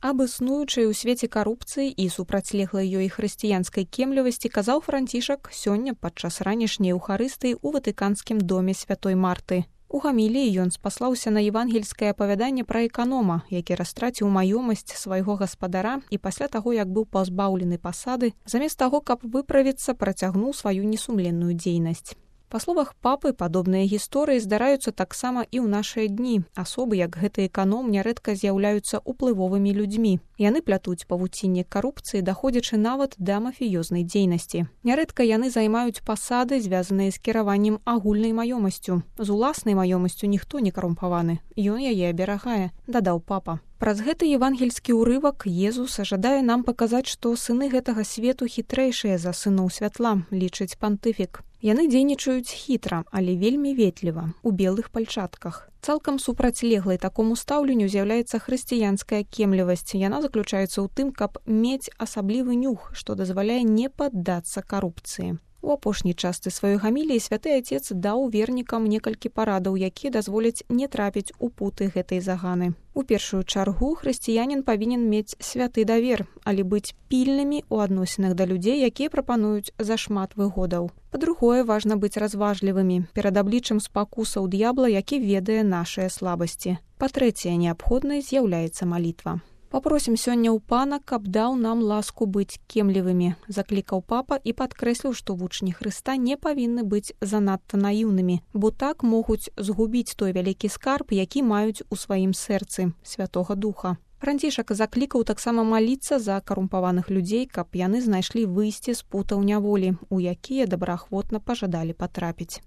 Аб існуючай у свеце карупцыі і супрацьлеглай ёй хрысціянскай кемлівасці казаў Францішак сёння падчас ранішняй эўхарыстыі ў Ватыканскім доме святой Марты. У гаміліі ён спаслаўся на евангельскае апавяданне пра эканома, які растраціў маёмасць свайго гаспадара і пасля таго, як быў пазбаўлены пасады, замест таго, каб выправіцца, працягнуў сваю несумленную дзейнасць. Па словах папы, падобныя гісторыі здараюцца таксама і ў нашыя дні. Асобы, як гэты эканом, нярэдка з'яўляюцца уплывовымі людзьмі. Яны плятуць павуцінне карупцыі, даходзячы нават да мафіёзнай дзейнасці. Нярэдка яны займаюць пасады, звязаныя з кіраваннем агульнай маёмасцю. З уласнай маёмасцю ніхто не карумпаваны. Ён яе аберагае, дадаў папа. Праз гэты евангельскі ўрывак Езус жадае нам паказаць, што сыны гэтага свету хітрэйшыя за сыноў святла, лічыць пантыфік. Яны дзейнічаюць хітра, але вельмі ветліва, у белых пальчатках. Цалкам супрацьлеглай такому стаўленню з'яўляецца хрысціянская кемлівасць. Яна заключаецца ў тым, каб мець асаблівы нюх, што дазваляе не паддацца карупцыі. У апошняй частцы сваёй гаміліі святы Отец даў вернікам некалькі парадаў, якія дазволяць не трапіць у путы гэтай заганы. У першую чаргу хрысціянін павінен мець святы давер, але быць пільнымі ў адносінах да людзей, якія прапануюць зашмат выгодаў. Па-другое, важна быць разважлівымі перад абліччам спакусаў д'ябла, які ведае нашыя слабасці. Па-трэцяе, неабходнай з'яўляецца малітва. Папросім сёння ў пана, каб даў нам ласку быць кемлівымі, заклікаў папа і падкрэсліў, што вучні Хрыста не павінны быць занадта наіўнымі, бо так могуць згубіць той вялікі скарб, які маюць у сваім сэрцы, Святога Духа. Францішак заклікаў таксама маліцца за карумпаваных людзей, каб яны знайшлі выйсце з путаў няволі, у якія добраахвотна пажадалі патрапіць.